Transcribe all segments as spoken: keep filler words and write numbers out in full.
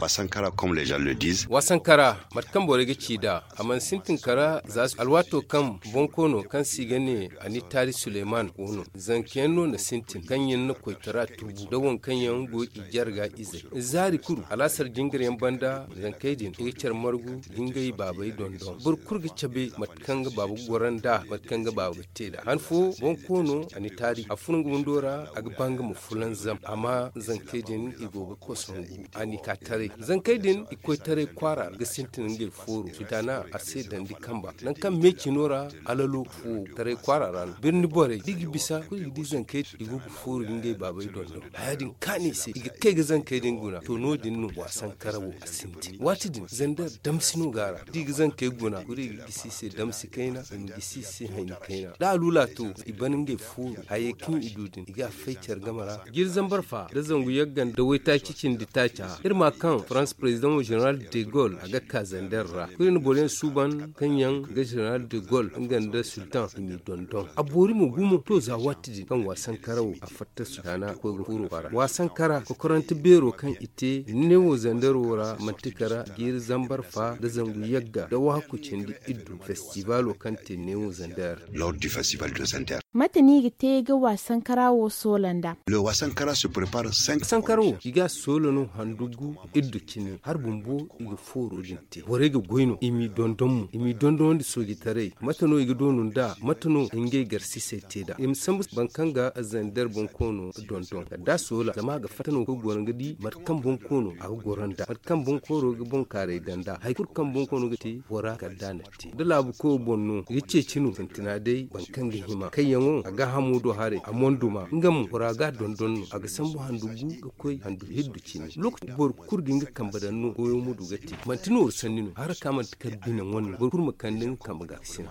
Sankara comme les gens le disent. Wa sankara, mate kaŋ borey ga ci nd'a, a mana sintin kara za alwaato kaŋ bonkoono kaŋ se i ga ne anitaari suleyman go no, zankayaŋ no na sintin kaŋ yaŋ na koytara tubu nda waŋ kaŋ yaŋ go i jarga izey zaari kulu alaasar jingaryaŋ banda. Zankey din i ga care margu da ngey baabey dondon boro kulu ga cabe mate kaŋ ga baaba ga goro nd'a, mate kaŋ ga baaba ga te nd'a han fo bonkoono anitaari a furo nga windo ra, a ga ba nga ma fulanzam amma zankey din i go ga koso ngu a n'i ka taray zankey din i koy taray kwaara ga sintin ngey fooro sudana a se dandi kamba nangu kaŋ me cino ra. Alalo fo taray kwaara ra no birni borey da i ga bisa kulu i ga di zankey i go ga fooru ga ngey baabey dondon haya din kaani i se i ga kay ga zankey din guna to no- din no waasankara wo a sintin waati din zandar damsi no go a ra da i ga zankey guna kulu i ga gisi i se damsi kayna i ma gisi i se hayni kayna da a lula to i ban ngey fooru hayey kaŋ i du din i ga a fay care game ra. Jiiri zambar fa nda zangu yagga nda waytaaci cindi taaca iri ma kaŋ farans president general de gol a ga ka zander ra kulu iri na boro yaŋ suuban kaŋ yaŋ ga general de gol nga nda sultan i m'i dondon a boori mo gumo to za waati din kaŋ waasankara wo a fatta sultana koy ga furo kwaara waasankara kokorante beero kaŋ i te newo zandero ra manti kara jiiri zambar fa nda zangu yagga nda waaku cindi iddu festivalo kaŋ te newo zander. Lors du festival de zander. Mate no i ga te ga waasankara wo soola nd'a? Le waasankara se prepare cinq sankara wo i ga a soola no handugu iddu cine hari bumbo i ga fooro din te borey ga goy no i m'i dondon mo i m'i dondonandi soojitaray mate no i ga doonu nd'a mate no ngey garsisey te nd'a i ma sambu boro kaŋ ga zander bonkoono dondon kala da a soola zama a ga fatta no ga goro ga di mate kaŋ bonkoono a ga goro nd'a mate kaŋ bonkooro ga bonkaaray daŋ nd'a hari kulu kaŋ bonkoono ga te bora kala da a na te da laabu koyo boŋ no ga ceeci no sintina day boro kaŋ ga hima kayyaŋo a gaahamo do haray a monduma nga mo bora ga a dondon no a ga sambu handu gu ga koy handu hiddu cine lokaci boro kulu ga nga kambe daŋ no goyo ma du ga te manti nooru sanni no haraka manti kala bine ŋwanno boro kulu ma kande nga kambe ga ga sina.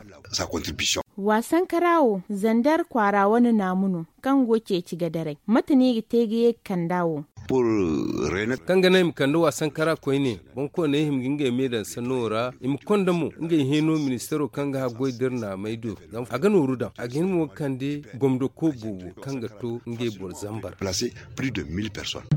Waasankara wo zander kwaara wane naamu no kaŋ go ceeci ga daray mate no i ga te ga ye ga kand'a wo? Kaŋ ga naŋ i ma kande waasankara koyne boŋkooney hima ga ngey me daŋ sanno ra i ma konda mo ngey heeno ministeero kaŋ ga haggoy da iri naamey do zama a ga nooru daŋ a ga hin mo ga kande gomdoko boobo kaŋ ga to ngey boro zambar. Plus de mille personnes.